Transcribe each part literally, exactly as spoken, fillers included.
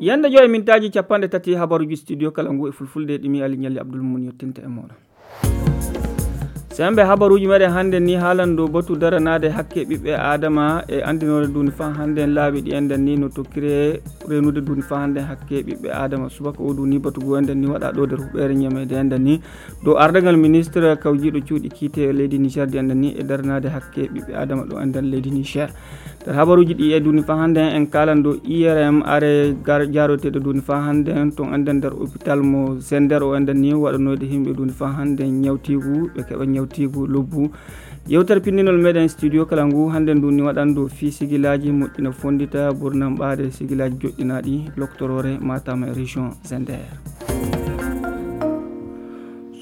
Yande joy mintaaji capanɗe tati habaruuji studio kala ngu e fulfulde ɗimi Ali Ñalli Abdul Mun yettinta e mooɗon. Sembe habaruuji meɗen hannde ni haalan dow batu daranaade hakke ɓiɓɓe Aadama e anndinoore duuni faa hannde en laabi ɗi enɗen ni no tokkire reenude duuni faa hannde hakke ɓiɓɓe Aadama. Subaka o duuni batu goo enɗen ni waɗa ɗo nder huɓeere ñameede enɗen ni dow ardagal ministre kawjiiɗo cuuɗi kiite e leydi Niger di enɗen ni e daranaade hakke ɓiɓɓe Aadama ɗo enɗen leydi Niger. Nder habaruuji ɗi e duuni faa hannde en kaalan dow I R M are gar-, jaaroteeɗo duuni faa hannde en ton enɗen nder hôpital mo Zender o enɗen ni waɗanoyde yimɓe duuni faa hannde en ñawtiigu, ɓe keɓa ñawtiigu lobbu. Yewtere pinndinol meɗen studio kala ngu hannde ndu ni waɗan dow fii sigilaaji moƴƴina fonndita ɓurnan ɓaade sigilaaji joɗɗinaaɗi loktoroore Matam e région Zender.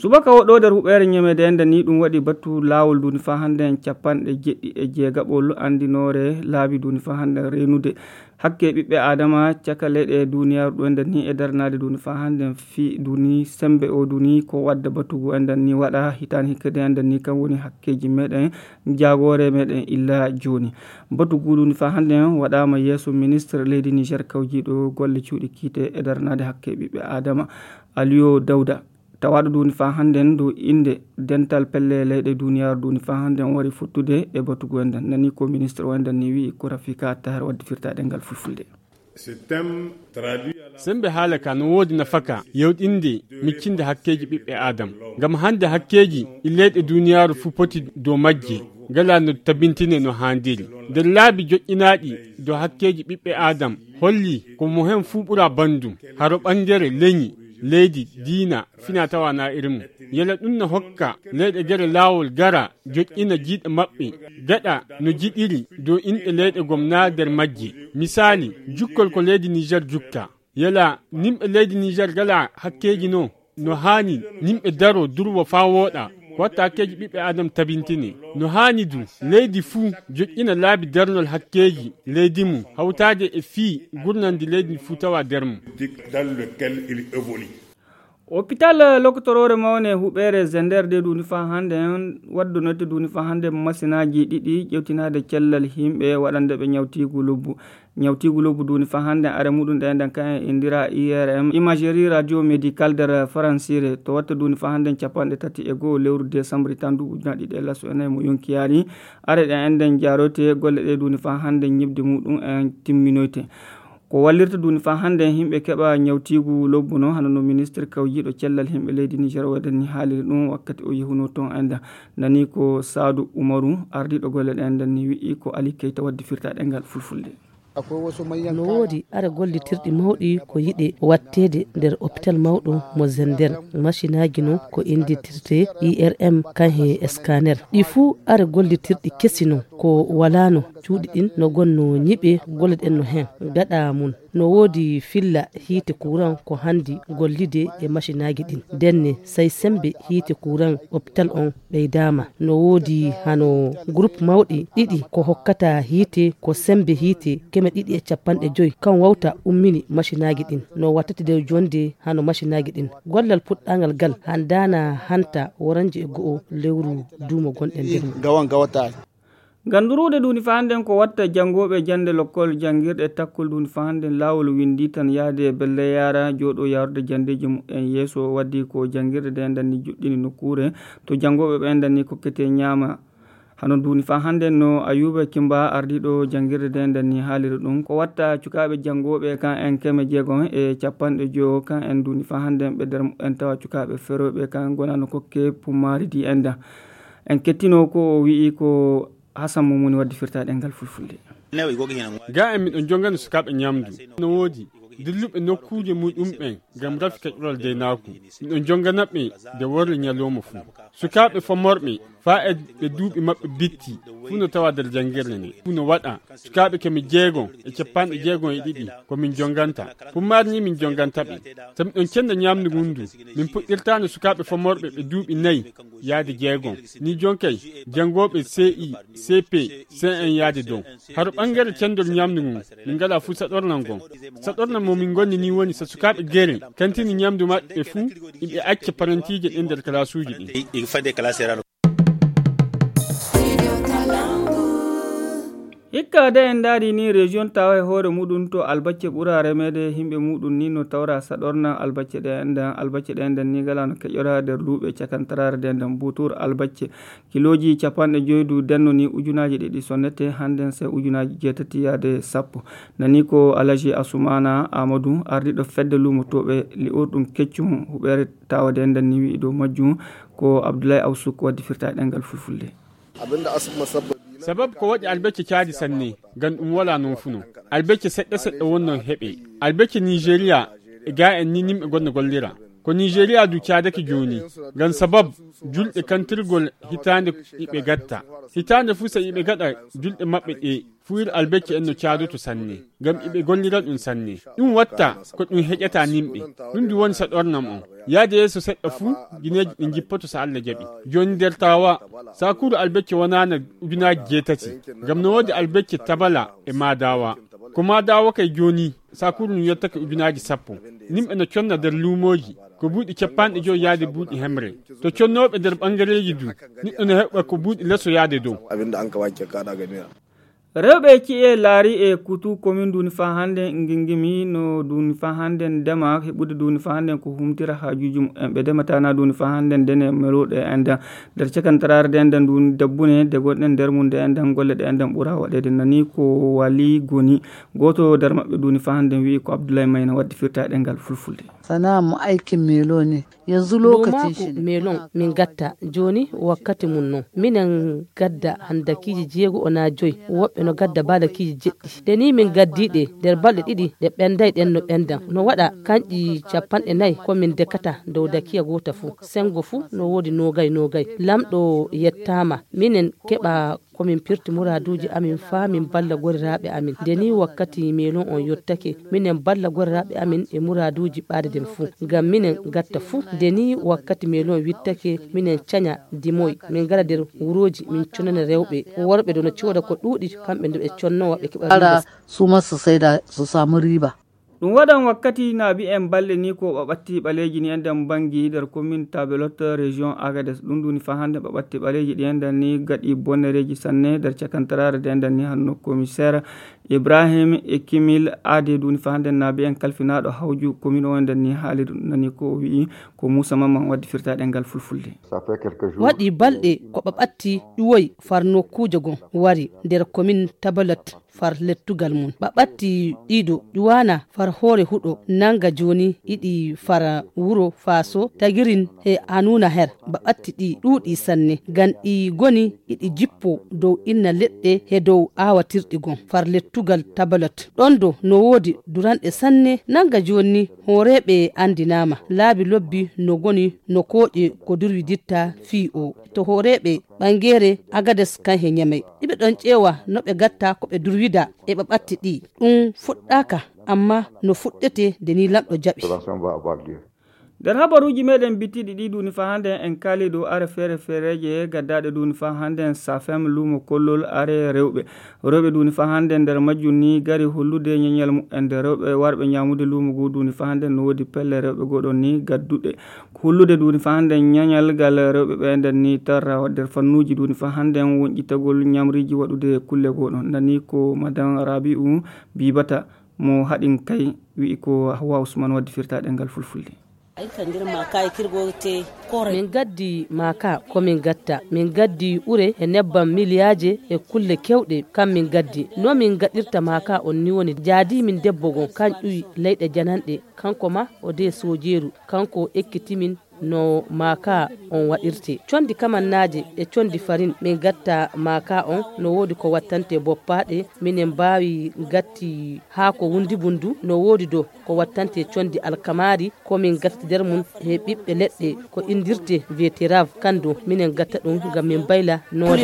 Subaka o ɗo nder huɓeere ñameede enɗen ni ɗum waɗi batu laawol duuni faa hannde en capanɗe jeɗɗi e jeegaɓol anndinoore laabi duuni faa hannde en reenude hakke ɓiɓɓe Aadama caka leyɗe duuniyaaru ɗo enɗen ni e daranaade duuni faa hannde en fii duuni sembe o duuni ko wadda batu goo enɗen ni waɗa hitaande hikkade enɗen ni kam woni hakkeeji meɗen jaagoore meɗen illa jooni. Batu goo duuni faa hannde en waɗaama yeeso ministre leydi Niger kawjiiɗo golle cuuɗi kiite e daranaade hakke ɓiɓɓe Aadama Aliyo Dawda. Tawaaɗo duuni faa hannde en dow innde dental pelle leyɗe duuniyaaru duuni faa hannde en wari fottude e batu goo enɗen. Nani ko ministre o enɗen ni wi'i ko Rafika Tahar waddi firtaaɗe ngal fulfulde. Sembe haala ka no woodi nafaka yewɗinde miccinde hakkeeji ɓiɓɓe Aadam. Ngam hannde hakkeeji ɗi leyɗe duuniyaaru fuu poti dow majje, ngala no tabintine no haandiri. Nder laabi joƴƴinaaɗi dow hakkeeji ɓiɓɓe Aadam holli ko mo heen fuu ɓura banndum, haro ɓangere leñi, leydi, diina, fina tawa na irin mum. Yala ɗum no hokka leyɗe gere laawol gara joƴƴina jiiɗe maɓɓe, gaɗa no jiɗiri dow inɗe leyɗe gom na nder majje. Misaali, jukkol ko leydi Niger jukka. Yala nimɓe leydi Niger gala hakkeeji no, no haani nimɓe daro durwo faa wooɗa, ko watta hakkeeji ɓiɓɓe Adam tabintine. No haani du, leydi fuu joƴƴina laabi darnol hakkeeji leydi mum, hawtaade e fii gurnandi leydi fuu tawa nder mum. Dans lequel il évolue. Hôpital lokotoroore mawne huɓeere Zender de duuni faa hannde en waddunoyte duuni faa hannde masinaaji ɗiɗi ƴewtinaade cellal yimɓe waɗande ɓe ñawtiigu lobbu. Ñawtiigu lobbu duuni faa hannde are muɗum ɗe nden kan en indira I R M, Imagerie Radio Médicale nder Faransire, to watta duuni faa hannde capanɗe tati e go'o lewru décembre tan nduuɓu ujunaaji ɗiɗi e laso e nayi mo yonki yaari. Are ɗe enden jaaroyte golle ɗe duuni faa hannde ñiɓde muɗum en timminoyte. Ko wallirta duuni faa hannde yimɓe keɓa ñawtiigu lobbu no, hano no ministre kawjiiɗo cellal yimɓe leydi Niger o nden ni haaliri ɗum wakkati o yehuno toon enden. Nani ko Saadu Umaru, ardiiɗo golle ɗe enden ni wi'i ko Ali Keita waddi firtaaɗe ngal fulfulde. No woodi are gollitirɗi mawɗi ko yiɗe watteede nder hôpital mawɗo mo Zender. Masinaaji no ko inndirtee I R M kan he scanner. Ɗi fuu are gollitirɗi kesi no ko walaano. Cuuɗi ɗin no gonno ñiɓe golle ɗen no heen. Gaɗa mum no woodi filla hiite kuran ko handi gollide e masinaaji ɗin. Ndenne, say sembe hiite kuran hôpital on ɓeydaama. No woodi hano groupe mawɗi ɗiɗi ko hokkata hiite ko sembe hiite keme ɗiɗi e capanɗe joy. Kan wawta ummini masinaaji ɗin. No wattata nder jonde hano masinaaji ɗin. Gollal puɗɗangal gal handaana hanta woranje e go'o lewru duumo gonɗen nder mum. Gawan gawata. Ngam durude duuni faa hannden ko watta janngooɓe jannde lokkol janngirɗe takkol duuni faa hannden laawol winndii tan yahde e belle yaara jooɗoo yahrude janndeeji mumen yeeso. Waɗdi ko janngirɗe ɗe nden ni juɗɗini nokkuure to janngooɓe ɓe nden ni kokkete ñaama. Hano duuni faa hannden no Ayuba Kimba ardiiɗo janngirɗe ɗe nden ni haaliri ɗum. Ko watta cukaaɓe janngooɓe kan en keme jeegom e capanɗe jowo kan en duuni faa hannden ɓe nder mumen tawa cukaaɓe ferooɓe kan gonano kokke pummaari di enda. En kettino ko o wi'i ko Hasan Mumuni waddi firtaaɗe ngal fulfulde. Ga en miɗo jongana sukaaɓe ñamdu. No woodi dilluɓe nokkuuje muɗumɓen ngam rafi kaƴural deynaaku. Miɗo jongana ɓe nde worre ñalawma fuu. Sukaaɓe famorɓe faa e ɓe duuɓi maɓɓe bitti fuu no tawa nder janngirde nde. Fuu no waɗa sukaaɓe keme jeegom e capanɗe jeegom e ɗiɗi ko min jonganta. Pummaari ni min jonganta ɓe. So miɗon cenda ñamdu ngun du, min puɗɗirtaano sukaaɓe famorɓe ɓe duuɓi nayi yaade jeegom. Ni jonkay janngooɓe C I, C P, C un yaade dow. Haro ɓangere cendol ñamdu ngun, min ngala fuu saɗornal ngon. Saɗornal mo min ngonni ni woni so sukaaɓe gere kantini ñamdu maɓɓe fuu, iɓe acca parantiije ɗen nder kalaasuuji ɗin. Hikka de en ndaari ni, région tawa e hoore muɗum to albacce ɓura remeede, yimɓe muɗum ni no tawra saɗorna albacce ɗe enɗan. Albacce ɗe enɗan ni ngala no keƴora nder luuɓe cakantaraare ɗe enɗan. Butur albacce kilooji capanɗe joyi du denno ni ujunaaji ɗiɗi sonnete, hannden se ujunaaji jeetati yaade sappo. Nani ko Alaji Asumana Amadou, ardiɗo fedde luumotooɓe li'orɗum keccum huɓeere tawa de enɗan ni wi'i dow majjum. Ko Abdoulaye Awsuk waddi firta ɗengal fulfulde. Sabab ko waɗi albecce caadi sanne, ngam ɗum wala noon fu non. Albecce seɗɗa seɗɗa wonno heɓe. Albecce Nigeria e ga en ni nimɓe gonno gollira. Ko Nigeria du caadake jooni, ngam sabab julɗe kantirgol hitaande iɓe gatta. Hitaande fu sa iɓe gaɗa julɗe maɓɓe ɗe, fuwir albecce en no caadoto sanne, ngam iɓe gollira ɗum sanne. Ɗum watta ko ɗum heƴata nimɓe. Ɗum du woni sa ɗornam on. Yaade yeeso seɗɗa fu, gineeji ɗin jippoto sa Allah jaɓi. Jooni nder tawa, sakuru albecce wonana ujunaaji jeetati. Ngam no woodi albecce tabala e maadawa. Ko maadawa kay jooni, sakuru no yottake ujunaaji sappo. Nimɓe no conna nder luumooji, ko buuɗi capanɗe joyi yaade buuɗi hemre. To connooɓe nder ɓangareeji du, niɗɗo no heɓa ko buuɗi leso yaade dow. Rewɓe ci'e laari e kutu komin duni fa hannde ngingimi no duni fa hannde ndema heɓude duni fa hannde ko humtira haajuuji mumen. Ɓe ndematana duni fa hannde ndene meluɗe enɗan nder cakantaraare de enɗan duni dabbune de gonɗen nder mum de enɗan golle ɗe enɗan ɓura waɗeede. Nani ko wali goni gooto nder maɓɓe duni fa hannde wi'i ko Abdoulaye Mayna waddi firta ɗengal fulfulde. Sana mu aikin melo ne. Yanzu lokacin shi ne. Melon min gatta joni wakkati mum non. Minen gadda handakiiji jeego o na joyi, woɓɓe no gadda balakiiji jeɗɗi. Nde ni min gaddi ɗe nder balɗe ɗiɗi ɗe ɓenday ɗen no ɓendan. No waɗa kanƴi capanɗe nayi ko min dekata dow dakiya goota fu. Sengo fu no woodi nogay nogay. Lamɗo yettama. Minen keɓa ko min pirti muraaduuji amin faa min balla goriraaɓe amin. Nde nii wakkati meelon on yottake, minen balla goriraaɓe amin e muraaduuji ɓaade ɗen fuu. Ngam minen gatta fuu, nde nii wakkati meelon wittake, minen caña dimoy, min ngara nder wurooji, min connana rewɓe. Worɓe ɗo no cooda ko ɗuuɗi, kamɓe nde ɓe connowa ɓe keɓa. Ara su ma su saida su samu riba. Ɗum waɗan wakkati naabi en balɗe ni ko ɓaɓatti ɓaleeji ni enɗan banngi nder commune Tabelot, région Agadez. Ɗum ɗuni fa hannde ɓaɓatti ɓaleeji ɗi enɗan ni gaɗi bonnereeji sanne nder cakantaraare de enɗan ni hanno commissaire Ibrahim Ekimil Ade ɗuni fa hannde naabi en kalfinaaɗo hawju commune o enɗan ni haali ɗum nani ko o wi'i ko Moussa Mamman waddi firta ɗengal fulfulde. Waɗi balɗe ko ɓaɓatti ɗuwoy far nokkuuje gon wari nder commune Tabelot. Far lettugal mum. Ɓaɓatti ɗiɗo ƴuwana far hoore huɗo nanga joni iɗi fara wuro faso tagirin he anuna her. Ɓaɓatti ɗi ɗuuɗi sanne. Gan ɗi goni iɗi jippo dow inna leɗɗe he dow awatirɗi gon. Far lettugal tabalot. Ɗon do no woodi duranɗe sanne nanga joni hooreɓe andinama. Laabi lobbi no goni no kooƴe ko durwiditta fii o. To hooreɓe ɓangeere Agades kan he Ñamey. Iɓe ɗon ƴeewa no ɓe gatta ko ɓe durwida e ɓaɓatti ɗi. Ɗum fuɗɗaaka, amma no fuɗɗete nde ni lamɗo jaɓi. Nder habaruuji meɗen bittiɗi ɗi duni fa hannde en kaali dow are feere feereeje gaddaɗe duni fa hannde en safem luumo kollol are rewɓe. Rewɓe duni fa hannde nder majjum ni gari hollude ñeñal mumen nde rewɓe warɓe ñamude luumo goo duni fa hannde no woodi pelle rewɓe goo ɗon ni gadduɗe. Hollude duni fa hannde ñañal gal rewɓe ɓe nden ni tarra nder fannuuji duni fa hannde wonƴitagol ñamriiji waɗude kulle goo ɗon. Nani ko madan Rabi'u Bibata mo haɗin kay wi'i ko Hawa Usman waddi firta ɗengal fulfulde. Ay ka ndir ma kay kirgo te. Min gaddi maaka ko min gatta, min gaddi ure e nebbam miliyaaje e kulle kewɗe kam min gaddi. No min gaɗirta maaka on ni woni jaadi min debbo gon kan ƴuwi leyɗe jananɗe, kanko ma o de soojeeru, kanko o ekkiti min no maaka on waɗirte. Condi kamannaaje e condi farin min gatta maaka on no woodi ko wattante boppaaɗe, minen mbaawi gatti haako wundibundu no woodi do ko wattante condi alkamaari ko min gatta nder mum he ɓiɓɓe leɗɗe ko inndirte beterave kan do minen gatta ɗum ngam min mbayla noode.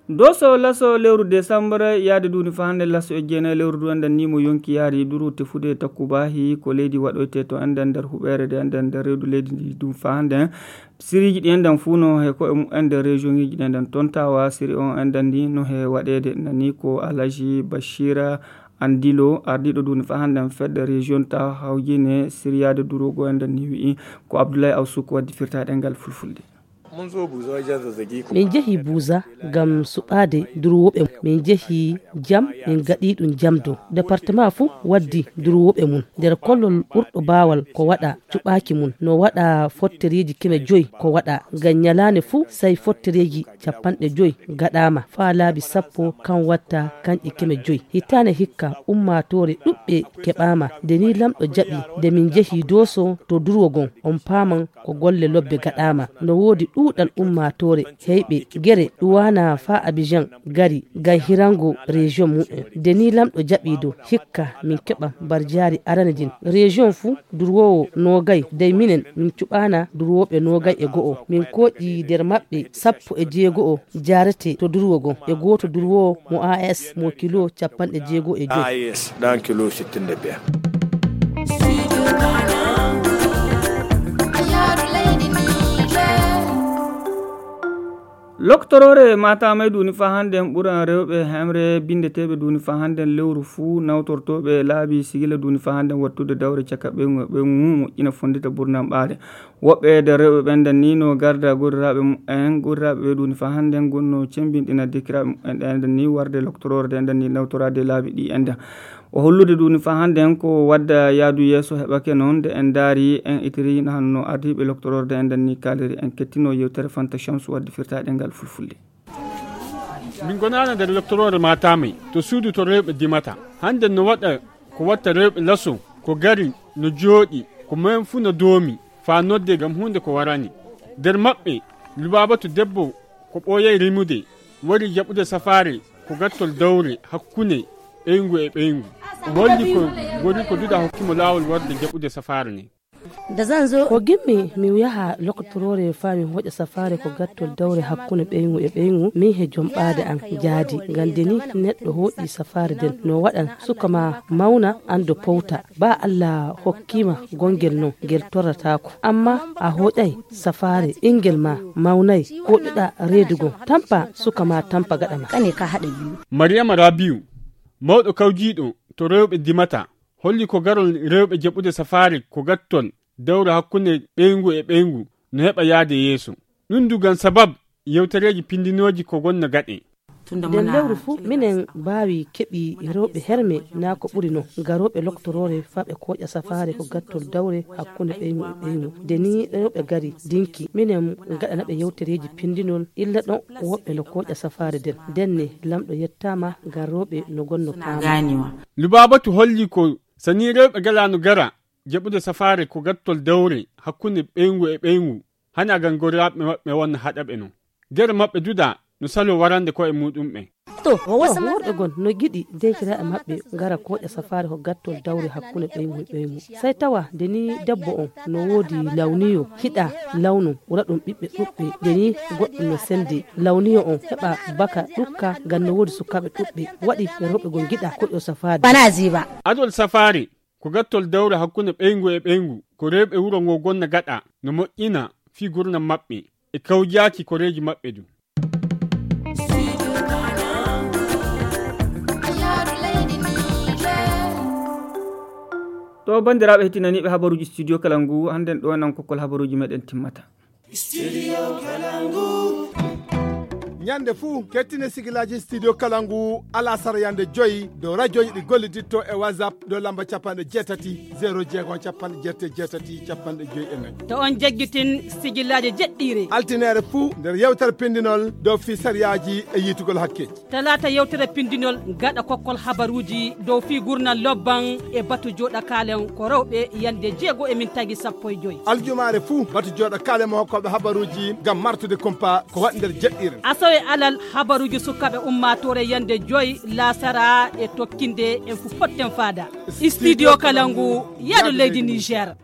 Doso laso lewru décembre yaade duni fa hannde laso e jeena lewru du enɗan ni mo yonki yaari duru tefude takkubahi ko leydi waɗoyte to enɗan nder huɓeere de enɗan nder rewdu leydi ndi dum fa hannde. Siriji ɗi enɗan fuu no he koye mumen nder région iji ɗi enɗan tontawa siri on enɗan ndi no he waɗeede nani ko Alaji Bashira Andilo ardiɗo duni fa hannde fedde région ta hawjine siriyade durogo enɗan ni wi'i ko Abdoulaye Awsuko waddi firta ɗengal fulfulde. Min njehi Buuza ngam suɓaade durwooɓe. Min njehi jam, min ngaɗi ɗum jam dow. Departement fuu waddi durwooɓe mum. Nder kollol ɓurɗo baawal ko waɗa cuɓaaki mum. No waɗa fottereeji keme joyi ko waɗa. Ngam ñalaande fuu, sey fottereeji capanɗe joyi gaɗaama. Faa laabi sappo kan watta kanƴe keme joyi. Hitaande hikka, ummaatoore ɗuɓɓe keɓaama. Nde nii Laamɗo jaɓi, nde min njehi Dooso to durwo gon, on paaman ko golle lobbe gaɗaama. No woodi ɗuuɗal ummaatoore heyɓe gere ɗuwaana faa Abijan gari ngam hirango rejiyon mumen. Nde nii Laamɗo jaɓi dow, hikka min keɓa mbarjaari arane ndin. Rejiyon fuu durwoowo noogay, dey minen min cuɓaana durwooɓe noogay e go'o. Min kooƴi nder maɓɓe sappo e jeego'o jaarete to durwo gon, e gooto durwoowo mo A S mo kilo capanɗe jeego e joyi. A S ɗan kilo sittin e biyar. Loktoroore Matamay duuni faa hannden ɓuran rewɓe hemre binndeteeɓe duuni faa hannden lewru fuu nawtortooɓe laabi sigila duuni faa hannden wattude dawre caka ɓeyngu e ɓeyngu moƴƴina fonndita ɓurnan ɓaare. Woɓɓe e nder rewɓe ɓen nden nii no garda goriraaɓe mumen, goriraaɓe ɓe duuni faa hannden gonno cemmbinɗina dekiraaɓe mumen ɗen nden nii warde loktoroore ɗen nden nii nawtoraade laabi ɗi en nden. O hollude duuni faa hannden ko wadda yaadu yeeso heɓake non nde en ndaari en itiri no hanno ardiiɓe loktoroore ɗen nden nii kaaliri en kettino yewtere Fanta Shamsu wadde firtaaɗe ngal fulfulde. Min gonaano nder loktoroore Matamay to suudu to rewɓe dimata. Hannden no waɗa ko watta rewɓe laso ko gari no jooɗi ko mem fuu no doomi faa nodde ngam huunde ko warani. Nder maɓɓe Lubaabatu debbo ko ɓooyay rimude wari jaɓude safaare ko gattol dawre hakkunde ɓeyngu e ɓeyngu. O holli ko gori ko duɗa hokki mo laawol warde jaɓude safaare nde. Ko gimmi mi yaha lokotoroore faa mi hoƴa safaare ko gattol dawre hakkunde ɓeyngu e ɓeyngu, min he jomɓaade am jaadi. Ngam nde nii neɗɗo hoƴi safaare nden no waɗan suka maa mawna anndo powta. Baa Allah hokkii ma gongel non ngel torrataako. Ammaa a hoƴay safaare ɓinngel maa mawnay, koƴuɗaa reedu gon, tampa suka maa tampa gaɗa maa. Mariyama Rabiu, mawɗo kawjiiɗo to rewɓe dimata, holli ko garol rewɓe jaɓude safaare ko gattol dawre hakkunde ɓeyngu e ɓeyngu no heɓa yaade yeeso. Ɗum du ngam sabab yewtereeji pinndinooji ko gonna gaɗe. Nder lewru fuu, minen mbaawi keɓi rewɓe herme naa ko ɓuri non, garooɓe loktoroore faa ɓe kooƴa safaare ko gattol dawre hakkunde ɓeyngu e ɓeyngu. Nde nii rewɓe gari dinki, minen ngaɗana ɓe yewtereeji pinndinol, illa ɗon woɓɓe no kooƴa safaare nden. Ndenne, Laamɗo yettaama ngam rewɓe no gonno paama. Lubaabatu holli ko sanii rewɓe ngalaano gara jaɓude safaare ko gattol dawre hakkunde ɓeyngu e ɓeyngu, hana ngam goriraaɓe maɓɓe wonna haɗa ɓe non. Gere maɓɓe duɗa no saloo warande ko'e muuɗumɓe. To, worɓe gon no ngiɗi deekiraaɓe maɓɓe ngara kooƴa safaare ko gattol dawre hakkunde ɓeyngu e ɓeyngu. Sey tawa nde nii debbo on no woodi lawniyo, hiɗa lawnu, ɓura ɗum ɓiɓɓe ɗuɓɓe, nde nii goɗɗum no sendi lawniyo on heɓa baka ɗukka ngam no woodi sukaaɓe ɗuɓɓe. Waɗi rewɓe gon ngiɗa kooƴo safaare. Adol safaare ko gattol dawre hakkunde ɓeyngu e ɓeyngu, ko rewɓe wuro ngo gonna gaɗa, no moƴƴina fii gurnam maɓɓe e kawjaaki koreeji maɓɓe du. To banndiraaɓe heɗtinaniiɓe habaruuji Studio Kalangu, hannden ɗo nan kokkol habaruuji meɗen timmata. Studio Kalangu. Ñande fuu, kettine sigilaaji Studio Kalangu, alasara yande joyi, dow rajooji ɗi golliditto e WhatsApp, dow lamba capanɗe jeetati, zero jeego, capanɗe jeetati, capanɗe joyi e nayi. To on jaggitin sigilaaji jeɗɗiire. Altineere fuu, nder yewtere pindinol, dow fii sariyaaji e yiitugol hakkeeji. Talaata yewtere pindinol gaɗa kokkol habaruuji dow fii gurnal lobban e batu jooɗa kaalen ko rewɓe yande jeego e min tagi sappo e joyi. Aljumaare fuu batu jooɗa kaalen mo hokkooɓe habaruuji ngam martude kumpa ko waɗi nder jeɗɗiire. Asawe alal habaruuji sukaaɓe ummaatoore yande joyi laasara e tokkinde en fu potten faada. Studio Kalangu, yaadu leydi Niger.